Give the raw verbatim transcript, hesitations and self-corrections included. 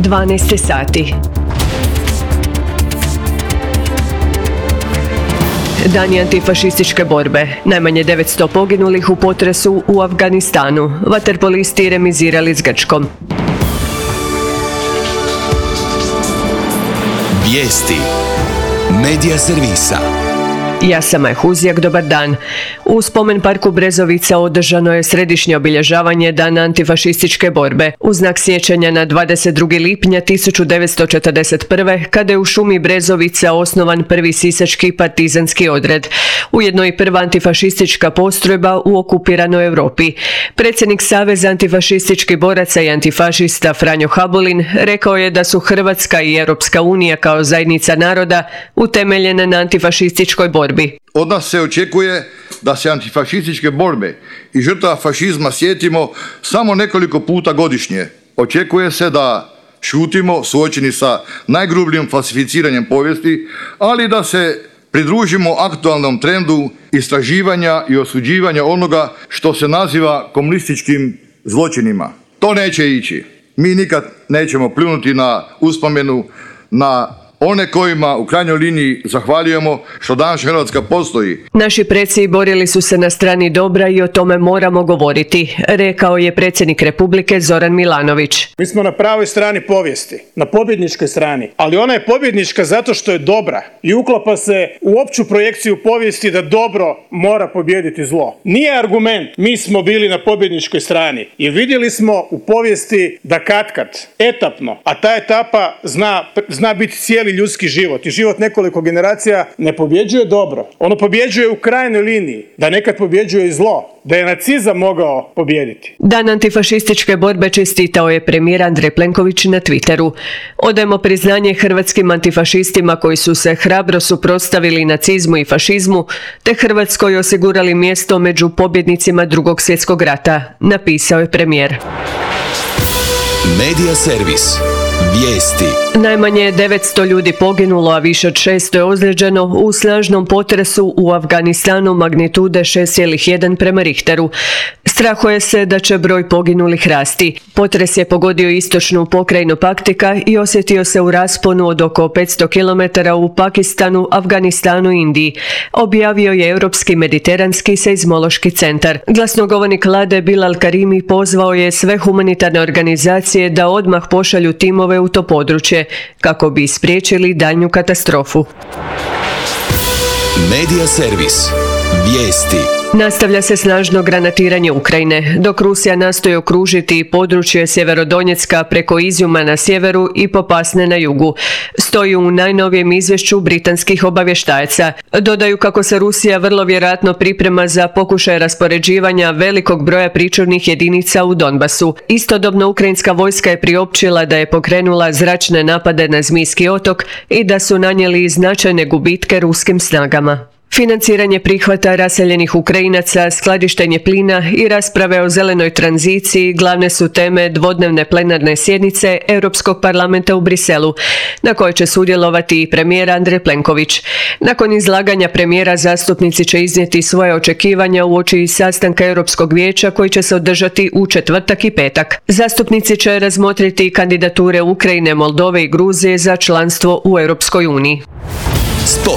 dvanaest sati. Dani antifašističke borbe. Najmanje devetsto poginulih u potresu u Afganistanu. Vaterpolisti remizirali s Grčkom. Vijesti Medija servisa. Ja sam Maja Huzjak, dobar dan. U spomen parku Brezovica održano je središnje obilježavanje Dana antifašističke borbe u znak sjećanja na dvadeset drugog lipnja tisuću devetsto četrdeset prve. kada je u šumi Brezovica osnovan prvi sisački partizanski odred, ujedno i prva antifašistička postrojba u okupiranoj Europi. Predsjednik Saveza antifašističkih boraca i antifašista Franjo Habulin rekao je da su Hrvatska i Europska unija kao zajednica naroda utemeljene na antifašističkoj borbi. Od nas se očekuje da se antifašističke borbe i žrtava fašizma sjetimo samo nekoliko puta godišnje. Očekuje se da šutimo suočeni sa najgrubljim falsificiranjem povijesti, ali da se pridružimo aktualnom trendu istraživanja i osuđivanja onoga što se naziva komunističkim zločinima. To neće ići. Mi nikad nećemo pljunuti na uspomenu na one kojima u krajnjoj liniji zahvaljujemo što danas Hrvatska postoji. Naši preci borili su se na strani dobra i o tome moramo govoriti, rekao je predsjednik Republike Zoran Milanović. Mi smo na pravoj strani povijesti, na pobjedničkoj strani, ali ona je pobjednička zato što je dobra i uklapa se u opću projekciju povijesti da dobro mora pobijediti zlo. Nije argument mi smo bili na pobjedničkoj strani, jer vidjeli smo u povijesti da katkad, etapno, a ta etapa zna, zna biti cijeli ljudski život i život nekoliko generacija, ne pobjeđuje dobro. Ono pobjeđuje u krajnjoj liniji, da nekad pobjeđuje i zlo, da je nacizam mogao pobijediti. Dan antifašističke borbe čestitao je premijer Andrej Plenković na Twitteru. Odajemo priznanje hrvatskim antifašistima koji su se hrabro suprotstavili nacizmu i fašizmu, te Hrvatskoj osigurali mjesto među pobjednicima Drugog svjetskog rata, napisao je premijer. Medija servis. Vijesti. Najmanje devetsto ljudi poginulo, a više od šesto je ozlijeđeno u snažnom potresu u Afganistanu magnitude šest zarez jedan prema Richteru. Strahuje se da će broj poginulih rasti. Potres je pogodio istočnu pokrajinu Paktika i osjetio se u rasponu od oko petsto kilometara u Pakistanu, Afganistanu i Indiji, objavio je Europski mediteranski seizmološki centar. Glasnogovornik vlade Bilal Karimi pozvao je sve humanitarne organizacije da odmah pošalju timove u to područje kako bi spriječili daljnju katastrofu. Medija servis. Vijesti. Nastavlja se snažno granatiranje Ukrajine, dok Rusija nastoji okružiti područje Sjeverodonjecka preko Izjuma na sjeveru i Popasne na jugu, stoji u najnovijem izvješću britanskih obavještajaca. Dodaju kako se Rusija vrlo vjerojatno priprema za pokušaj raspoređivanja velikog broja pričuvnih jedinica u Donbasu. Istodobno ukrajinska vojska je priopćila da je pokrenula zračne napade na Zmijski otok i da su nanijeli značajne gubitke ruskim snagama. Financiranje prihvata raseljenih Ukrajinaca, skladištenje plina i rasprave o zelenoj tranziciji glavne su teme dvodnevne plenarne sjednice Europskog parlamenta u Briselu, na kojoj će sudjelovati i premijer Andrej Plenković. Nakon izlaganja premijera zastupnici će iznijeti svoje očekivanja uoči sastanka Europskog vijeća koji će se održati u četvrtak i petak. Zastupnici će razmotriti kandidature Ukrajine, Moldove i Gruzije za članstvo u Europskoj uniji. Sport.